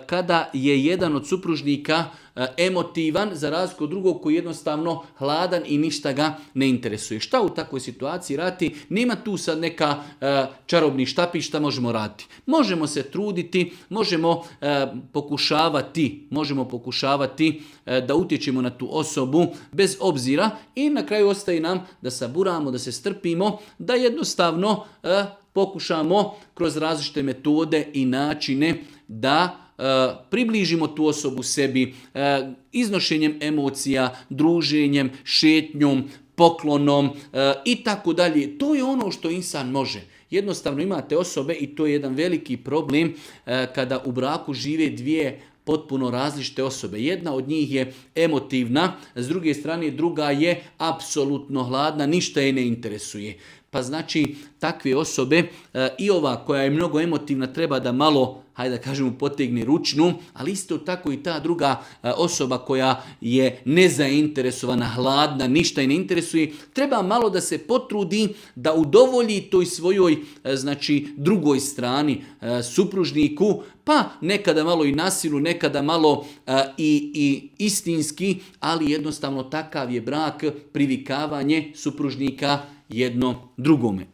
kada je jedan od supružnika emotivan za razliku od drugog koji je jednostavno hladan i ništa ga ne interesuje. Šta u takvoj situaciji raditi? Nema tu sad neka čarobni štapić, šta možemo raditi. Možemo se truditi, možemo pokušavati da utječemo na tu osobu bez obzira i na kraju ostaje nam da saburamo, da se strpimo, da jednostavno pokušamo kroz različite metode i načine da približimo tu osobu sebi iznošenjem emocija, druženjem, šetnjom, poklonom i tako dalje. To je ono što insan može. Jednostavno imate osobe i to je jedan veliki problem kada u braku žive dvije potpuno različite osobe. Jedna od njih je emotivna, s druge strane druga je apsolutno hladna, ništa je ne interesuje. Pa znači takve osobe i ova koja je mnogo emotivna treba da malo, hajde da kažemo, potegne ručnu, ali isto tako i ta druga osoba koja je nezainteresovana, hladna, ništa je ne interesuje, treba malo da se potrudi da udovolji toj svojoj drugoj strani, supružniku, pa nekada malo i nasilu, nekada malo i istinski, ali jednostavno takav je brak, privikavanje supružnika jedno drugome.